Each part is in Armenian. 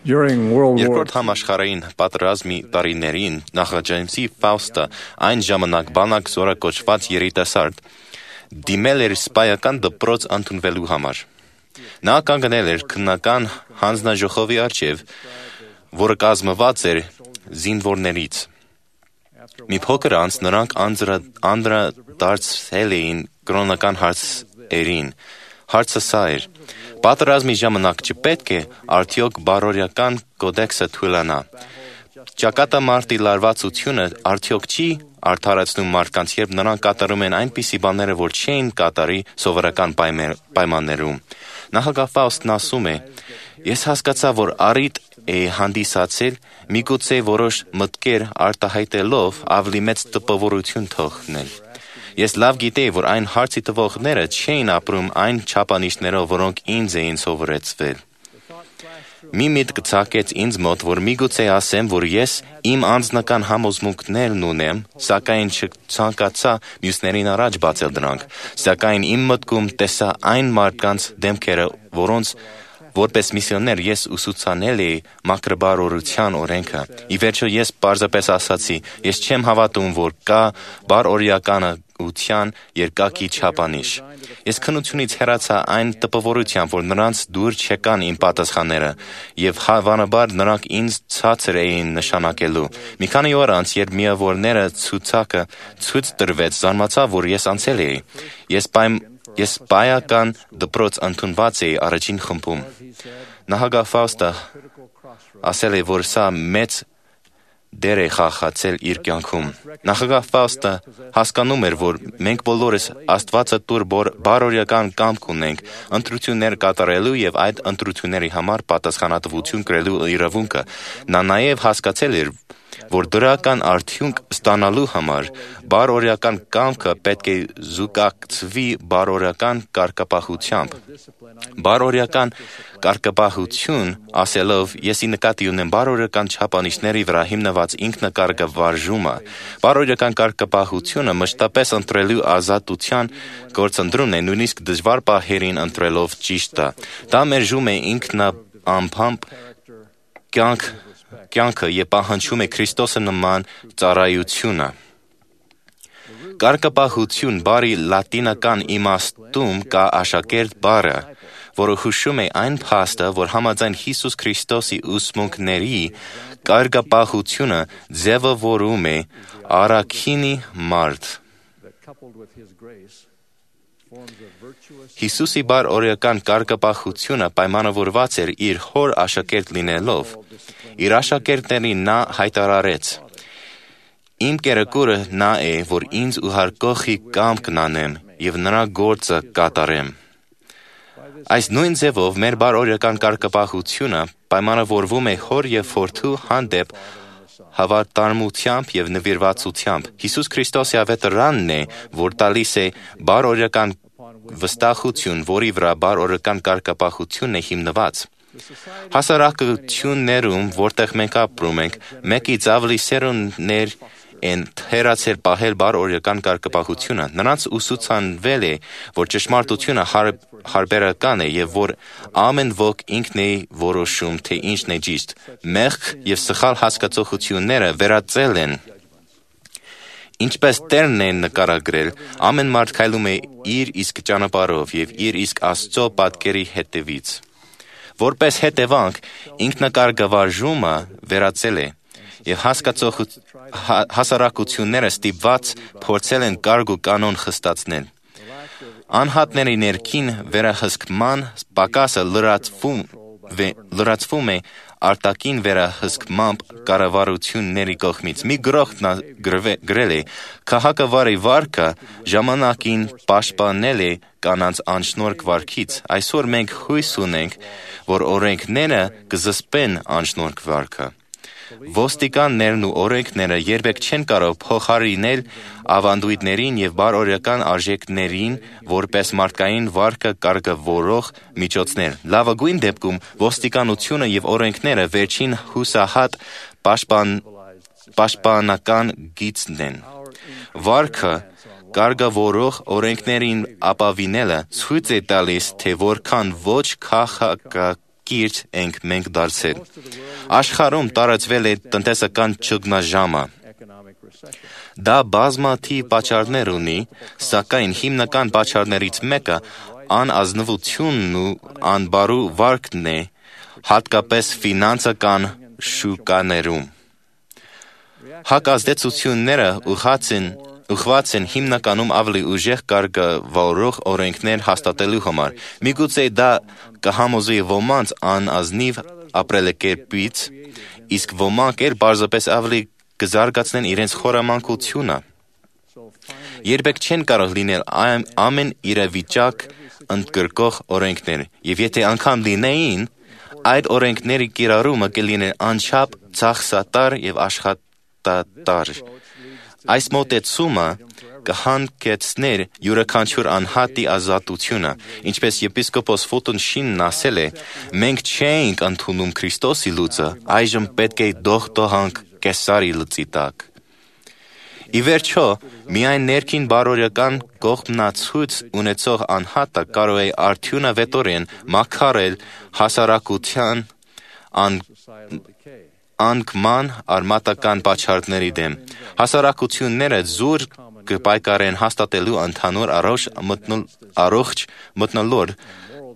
Երկրորդ համաշխարհային պատերազմի տարիներին նախաճանիցի Ֆաուստը այն ժամանակ բանակ զորակոչված երիտասարդ դիմել էր սպայական դպրոց ընդունվելու համար։ Նա կանգնել էր քննական հանձնաժողովի առջև, որը կազմված էր զինվորներից։ Մի փոքր անց նրանք անդրադարձել էին կրոնական հարցերին։ Հարցը սա էր. պատերազմի ժամանակ չպետք է արդյոք բարօրական կոդեքսը թույլանա։ Ճակատամարտի լարվածությունը արդյոք չի արդարացնում մարդկանց, երբ նրանք կատարում են այնպիսի բաները, որ չէին կատարի սովորական պայմաններում։ Նախագահ Ֆաուստն ասում է. ես հասկացա, որ առիթ է հանդիսացել միգուցե որոշ մտքեր արտահայտելով ավելի մեծ տպավորություն թողնել։ Ես լավ գիտեի, որ այն հարցի տվողները չէին ապրում այն չափանիշներով, որոնք ինձ էին սովորեցվել։ Մի միտք ծագեց ինձ մոտ, որ միգուցե ասեմ, որ ես իմ անձնական համոզմունքներն ունեմ, սակայն չցանկացա մյուսներին առաջ բացել դրանք, սակայն իմ մտքում տեսա այն մարդկանց դեմքերը, որոնց որպես միսիոներ ես ուսուցանել էի մաքրաբարօրության օրենքը։ Ի վերջո ես պարզապես ասացի, ես չեմ հավատում, որ կա բարօրեականության երկակի չափանիշ։ Ես քննությունից հեռացա այն տպավորությամբ, որ նրանց դուր չեկան իմ պատասխանները, եւ հավանաբար նրանք ինձ ցածր էին նշանակելու։ Մի քանի օր անց, երբ միավորները ցուցակը ցույց տրվեց, զարմացա, որ ես անցել էի։ Ես սպայական դպրոց ընդունված էի առաջին խմբում։ Նախագահ Ֆաուստը ասել է, որ սա մեծ դեր է խաղացել իր կյանքում։ Նախագահ Ֆաուստը հասկանում էր, որ մենք բոլորս Աստվածատուր բարօրեական կամք ունենք ընտրություններ կատարելու եւ այդ ընտրությունների համար պատասխանատվություն կրելու իրավունքը։ Նա նաեւ հասկացել էր, որ դրական արդյունք ստանալու համար բարօրեական կամքը պետք է զուգակցվի բարօրեական կարգապահությամբ։ Բարօրեական կարգապահություն ասելով եսի նկատի ունեմ բարօրեական չափանիշների վրա հիմնված ինքնակարգավարժումը։ Բարօրեական կարգապահությունը մշտապես ընտրելու ազատության գործընտրումն է, նույնիսկ դժվար պահերին ընտրելով ճիշտը։ Դա մերժում է ինքնաբամբ կյանքը եւ պահանջում է Քրիստոսը նման ծառայությունը։ Կարգապահություն բառի լատինական իմաստում կա աշակերտ բառը, որը հուշում է այն փաստը, որ համաձայն Հիսուս Քրիստոսի ուսմունքների կարգապահությունը ձևավորում է առաքինի մարդ։ Հիսուսի բարօրեական կարգապահությունը պայմանավորված էր իր հոր աշակերտ լինելով։ Իր աշակերտներին նա հայտարարեց. Իմ կերակուրը նա է, որ ինձ ուղարկողի կամքն անեմ եւ նրա գործը կատարեմ։ Այս նույն ձևով մեր բարօրեական կարգապահությունը պայմանավորվում է հոր եւ որդու հանդեպ հավատարմությամբ եւ նվիրվածությամբ։ Հիսուս Քրիստոսի ավետարանն է, որ տալիս է բարօրեական վստահություն, որի վրա բարօրեական կարգապահությունն է հիմնված։ Հասարակություններում, որտեղ մենք ապրում ենք, մեկից ավելի սերունդներ են թերացել պահել բարօրեական կարգապահությունը։ Նրանց ուսուցանվել է, որ ճշմարտությունը հարբերական է եւ որ ամեն ոք ինքն է որոշում, թե ինչն է ճիշտ։ Մեղք եւ սխալ հասկացողությունները վերածել են։ Ինչպես Տերն է նկարագրել, ամեն մարդ քայլում է իր իսկ ճանապարհով եւ իր իսկ Աստծո պատկերի հետևից։ Որպես հետևանք, ինքնակարգավարժումը վերածել է եւ հասարակությունները ստիպված փորձել են կարգ ու կանոն խստացնել։ Անհատների ներքին վերահսկման պակասը լրացվում է արտաքին վերահսկմամբ կառավարությունների կողմից։ Մի գրող գրել է. «Քաղաքավարի վարքը ժամանակին պաշտպանել է կանանց անշնորհք վարքից։ Այսօր մենք հույս ունենք, որ օրենքները կզսպեն անշնորհք վարքը։ Ոստիկաններն ու օրենքները երբեք չեն կարող փոխարինել ավանդույթներին եւ բարօրեական արժեքներին որպես մարդկային վարքը կարգավորող միջոցներ։ Լավագույն դեպքում ոստիկանությունը եւ օրենքները վերջին հուսահատ պաշտպանական գիծն են։ Վարքը կարգավորող օրենքներին ապավինելը ցույց է տալիս, թե որքան ոչ քաղաքական կիրճ ենք մենք դարձել։ Աշխարհում տարածվել է տնտեսական ճգնաժամը։ Դա բազմաթիվ պատճառներ ունի, սակայն հիմնական պատճառներից մեկը անազնվությունն ու անբարու վարքն է, հատկապես ֆինանսական շուկաներում։ Հակազդեցությունները ուղղված են հիմնականում ավելի ուժեղ կարգավորող օրենքներ հաստատելու համար։ Միգուցե դա կհամոզի ոմանց անազնիվ ապրելակերպից, իսկ ոմանք էլ պարզապես ավելի կզարգացնեն իրենց խորամանկությունը։ Երբեք չեն կարող լինել ամեն իրավիճակ ընդգրկող օրենքներ, եւ եթե անգամ լինեին, այդ օրենքների կիրառումը կլիներ անչափ ծախսատար եւ աշխատատար։ Այս մոտեցումը կհանգեցներ յուրաքանչյուր անհատի ազատությունը, ինչպես եպիսկոպոս Ֆուտոն Շինն ասել է. մենք չէինք ընդունում Քրիստոսի լուծը, այժմ պետք է դողդոհանք Կեսարի լծի տակ։ Ի վերջո, միայն ներքին բարոյական կողմնացույց ունեցող անհատը կարող է արդյունավետորեն մաքարել հասարակության անկման արմատական պատճառների դեմ։ Հասարակությունները զուր կպայքարեն հաստատելու ընդհանուր առողջ մթնոլորտ,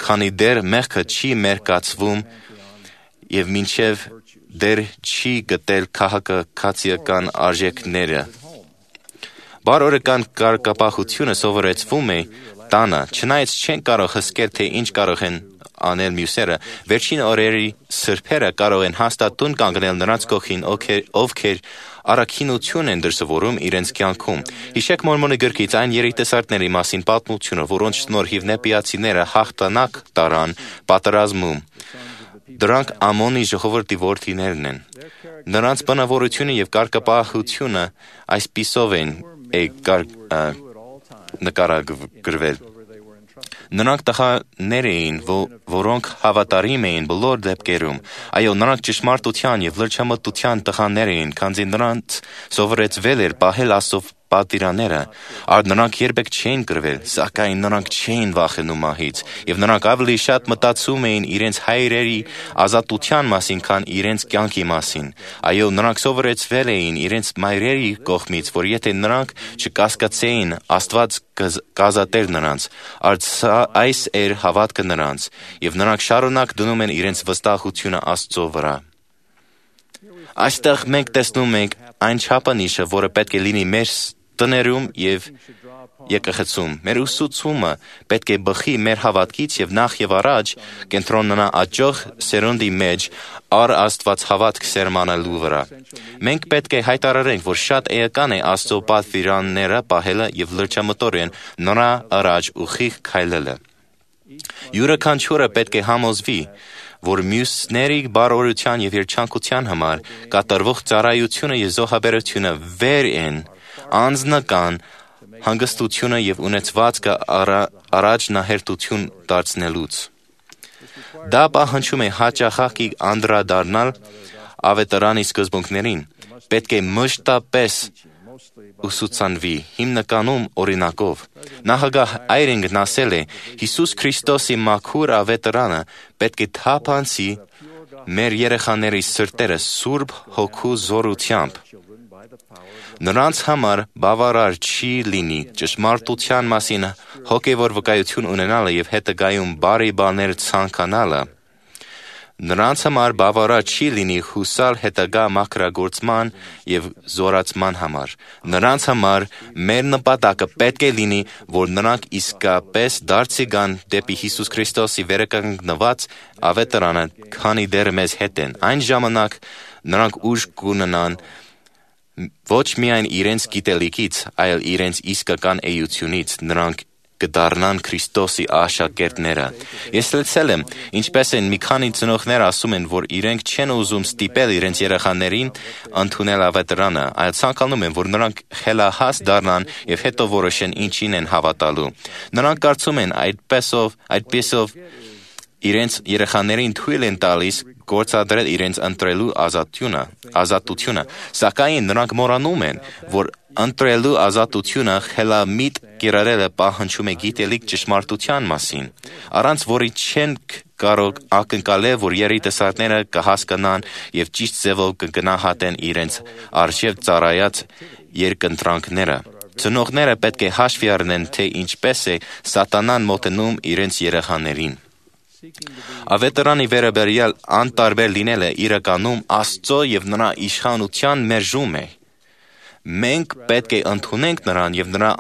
քանի դեռ մեղքը չի մերկացվում եւ մինչեւ դեռ չի գտել քաղաքացիական արժեքները։ Բարոյական կարգապահությունը սովորեցվում է տանը, չնայած չեն կարող հսկել, թե ինչ կարող են անել մյուսերը, վերջին օրերի սրբերը կարող են հաստատ տուն կանգնել նրանց կողքին, ովքեր առաքինություն են դրսևորում իրենց կյանքում։ Հիշեք Մորմոնի գրքից այն երիտասարդների մասին պատմությունը, որոնց շնորհիվ նեպիացիները հաղթանակ տարան պատերազմում։ Դրանք Ամոնի ժողովրդի որդիներն են։ Նրանց բնավորությունը եւ կարգապահությունը այսպիսով են նկարագրվել։ Նրանք տղաներ էին, որոնք հավատարիմ էին բոլոր դեպքերում։ Այո, նրանք ճշմարտության եւ լրջամտության տղաներ էին, քանզի նրանց սովորեցվել էր պահել Աստծո պատվիրանները, նրանք երբեք չէին կռվել, սակայն նրանք չէին վախենում մահից, եւ նրանք ավելի շատ մտածում էին իրենց հայրերի ազատության մասին, քան իրենց կյանքի մասին։ Այո, նրանք սովորեցվել էին իրենց մայրերի կողմից, որ եթե նրանք չկասկածեին, Աստված կազատեր նրանց, այս էր հավատքը նրանց, եւ նրանք շարունակ դնում են իրենց վստահությունը Աստծո վրա։ Այստեղ մենք տեսնում ենք այն չափանիշը, որը պետք է լինի մեր տներում եւ եկեղեցում։ Մեր ուսուցումը պետք է բխի մեր հավատքից եւ նախ եւ առաջ կենտրոնանա աճող սերունդի մեջ առ Աստված հավատք սերմանելու վրա։ Մենք պետք է հայտարարենք, որ շատ էական է Աստծո պատվիրանները պահելը եւ լրջամտորեն նրա առաջ ուղիղ քայլելը։ Յուրաքանչյուրը պետք է համոզվի, որ մյուսների բարօրության եւ երջանկության համար կատարվող ծառայությունը եւ զոհաբերությունը վեր են անձնական հանգստությունը եւ ունեցվածքը առաջնահերթություն դարձնելուց։ Դա պահանջում է հաճախակի անդրադառնալ ավետարանի սկզբունքներին, պետք է մշտապես ուսուցանվի, հիմնականում օրինակով։ Նախագահ Այրինգն ասել է. Հիսուս Քրիստոսի մաքուր ավետարանը պետք է թափանցի մեր երեխաների սրտերը Սուրբ Հոգու զորությամբ։ Նրանց համար բավարար չի լինի ճշմարտության մասին հոգևոր վկայություն ունենալը եւ հետագայում բարի բաներ ցանկանալը։ Նրանց համար բավարար չի լինի հուսալ հետագա մաքրագործման եւ զորացման համար։ Նրանց համար մեր նպատակը պետք է լինի, որ նրանք իսկապես դարձի գան դեպի Հիսուս Քրիստոսի վերականգնված ավետարանը, քանի դեռ մեզ հետ են։ Այն ժամանակ նրանք ուժ կունենան ոչ միայն իրենց գիտելիքից, այլ իրենց իսկական էությունից, նրանք կդառնան Քրիստոսի աշակերտները։ Ես լսել եմ, ինչպես են մի քանի ծնողներ ասում են, որ իրենք չեն ուզում ստիպել իրենց երեխաներին ընդունել ավետարանը, այլ ցանկանում են, որ նրանք խելահաս դառնան եւ հետո որոշեն ինչին են հավատալու։ Նրանք կարծում են այդպեսով իրենց երեխաներին թույլ են տալիս գործադրել իրենց ընտրելու ազատությունը, սակայն նրանք մոռանում են, որ ընտրելու ազատությունը խելամիտ կիրառելը պահանջում է գիտելիք ճշմարտության մասին, առանց որի չենք կարող ակնկալ է, որ երիտասարդները կհասկանան եւ ճիշտ ձևով կգնահատեն իրենց արժեվ ծառայած երկընտրանքները։ Ծնողները պետք է հաշվի առնեն, թե ինչպես է սատանան մոտենում իրենց երեխաներին։ Ավետարանի վերաբերյալ անտարբեր լինելը իրականում Աստծո եւ նրա իշխանության մերժում է։ Մենք պետք է ընդունենք նրան եւ նրա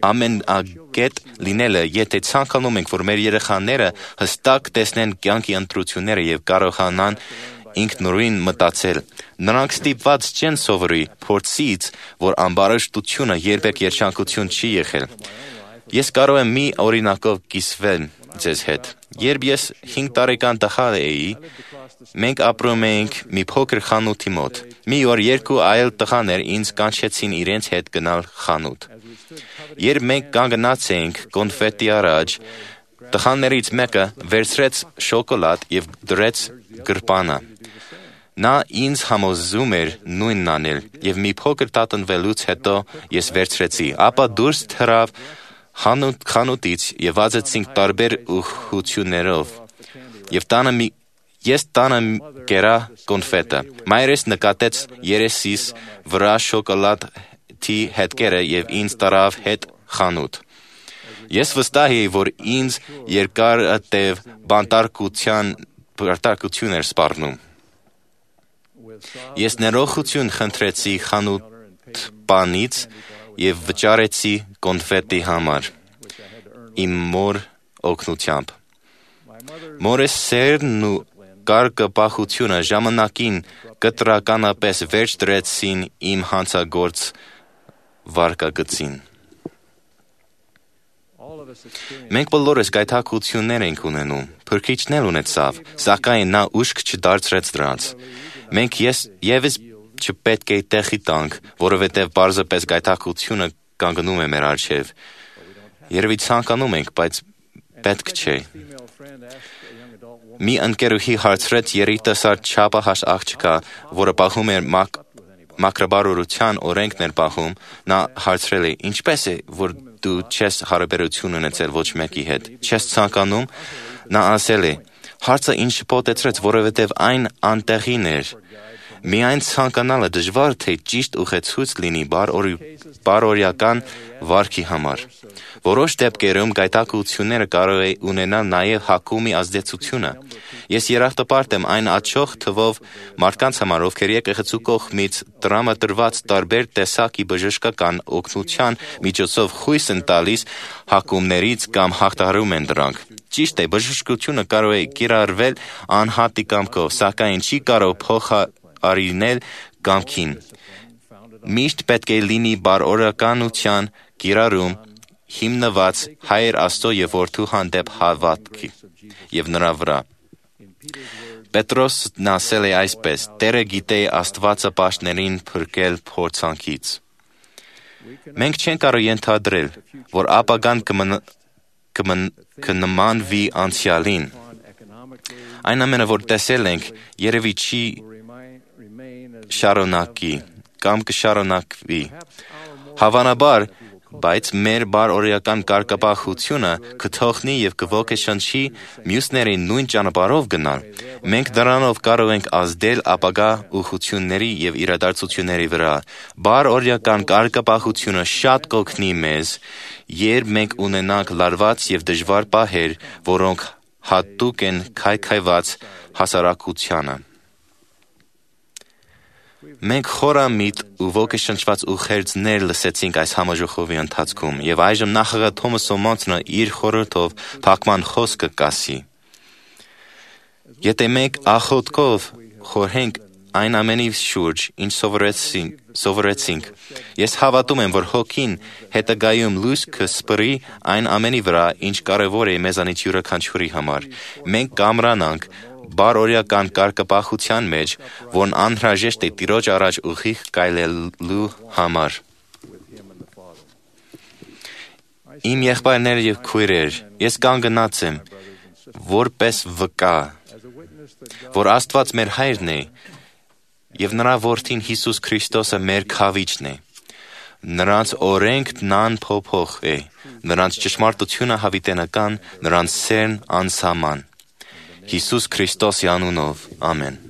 ամենագետ լինելը, եթե ցանկանում ենք, որ մեր երեխաները հստակ տեսնեն կյանքի ընտրությունները եւ կարողանան ինքնուրույն մտածել։ Նրանք ստիպված չեն սովորի փորձից, որ ամբարշտությունը երբեք երջանկություն չի եղել։ Ես կարող եմ մի օրինակով կիսվել ձեզ հետ։ Երբ ես 5 տարեկան տղա էի, մենք ապրում էինք մի փոքր խանութի մոտ։ Մի օր 2 այլ տղաներ ինձ կանչեցին իրենց հետ գնալ խանութ։ Երբ մենք կանգնած էինք կոնֆետի առաջ, տղաներից մեկը վերցրեց շոկոլադ եւ դրեց գրպանը։ Նա ինձ համոզում էր նույնն անել, եւ մի փոքր տատնվելուց հետո ես վերցրեցի, ապա դուրս թռավ խանութից եւ վազեցինք տարբեր ուղղություններով։ Ես տանը կերա կոնֆետը։ Մայրս նկատեց երեսիս վրա շոկոլադի հետքերը եւ ինձ տարավ հետ խանութ։ Ես վստահ էի, որ ինձ երկարատև բանտարկություն էր սպառնում։ Ես ներողություն խնդրեցի խանութպանից եւ վճարեցի կոնֆետի համար իմ մոր օգնությամբ։ Մորս սերն ու կարգապահությունը ժամանակին կտրականապես վերջ դրեցին իմ հանցագործ վարկագծին։ Մենք բոլորս գայթակղություններ ենք ունենում, փրկիչն էլ ունեցավ, սակայն նա ուշք չդարձրեց դրանց։ Մենք եւս չպետք է տեղի տանք, որովհետև պարզապես գայթակղությունը կանգնում է մեր առջև։ Երևի ցանկանում ենք, բայց պետք չէ։ Մի ընկերուհի հարցրեց երիտասարդ չափահաս աղջկա, որը պահում էր մաքրաբարության օրենքներ պահում, նա հարցրել է. «Ինչպես է, որ դու չես հարաբերություն ունեցել ոչ մեկի հետ, չես ցանկանում»։ Նա ասել է. «Հարցը ինձ շփոթեցրեց, որովհետև այն անտեղին էր։ Միայն ցանկանալը դժվար թե ճիշտ ուղեցույց լինի բարօրյական վարքի համար։ Որոշ դեպքերում գայթակղությունները կարող է ունենալ նաև հակումի ազդեցությունը։ Ես երախտապարտ եմ այն աճող թվով մարդկանց համար, ովքեր եկեղեցու կողմից տրամադրված տարբեր տեսակի բժշկական օգնության միջոցով խույս են տալիս հակումներից կամ հաղթահարում են դրանք։ Ճիշտ է, բժշկությունը կարող է կիրառվել անհատի կամքով, սակայն չի կարող փոխարինել կամքին։ Միշտ պետք է լինի բարօրականության կիրառում, հիմնված Հայր Աստծո եւ Որդու հանդեպ հավատքի եւ նրա վրա։ Պետրոսն ասել է այսպես. «Տերը գիտե Աստվածապաշտներին փրկել փորձանքից»։ Մենք չենք կարող ենթադրել, որ ապագան կնմանվի անցյալին։ Այն ամենը, որ տեսել ենք, երևի չի շարունակի կամ կշարունակվի։ Հավանաբար, բայց մեր բարօրական կարգապահությունը կթողնի եւ կոգեշնչի մյուսներին նույն ճանապարհով գնալ։ Մենք դրանով կարող ենք ազդել ապագա ուղղությունների եւ իրադարձությունների վրա։ Բարօրական կարգապահությունը շատ կօգնի մեզ, երբ մենք ունենանք լարված եւ դժվար պահեր, որոնք հատուկ են քայքայված հասարակությանը։ Մենք խորամիտ ու ոգեշնչված ուղերձներ լսեցինք այս համաժողովի ընթացքում, եւ այժմ նախագահ Թոմաս Սոմոնսը իր խորհրդով փակման խոսքը կասի։ Եթե մենք աղոթքով խորհենք այն ամենի շուրջ, ինչ սովորեցինք, ես հավատում եմ, որ Հոգին հետագայում լույս կսպրի այն ամենի վրա, ինչ կարևոր է մեզանից յուրաքանչյուրի համար։ Մենք կամրանանք բարօրական կարգապահության մեջ, որն անհրաժեշտ է Տիրոջ առաջ ուղիղ քայլելու համար։ Իմ եղբայրներ եւ քույրեր, ես կանգնած եմ, որպես վկա, որ Աստված մեր Հայրն է եւ նրա Որդին Հիսուս Քրիստոսը մեր Քավիճն է։ Նրանց օրենքն անփոփոխ է, նրանց ճշմարտությունը հավիտենական, նրանց սերն անսահման։ Հիսուս Քրիստոսի անունով, ամեն։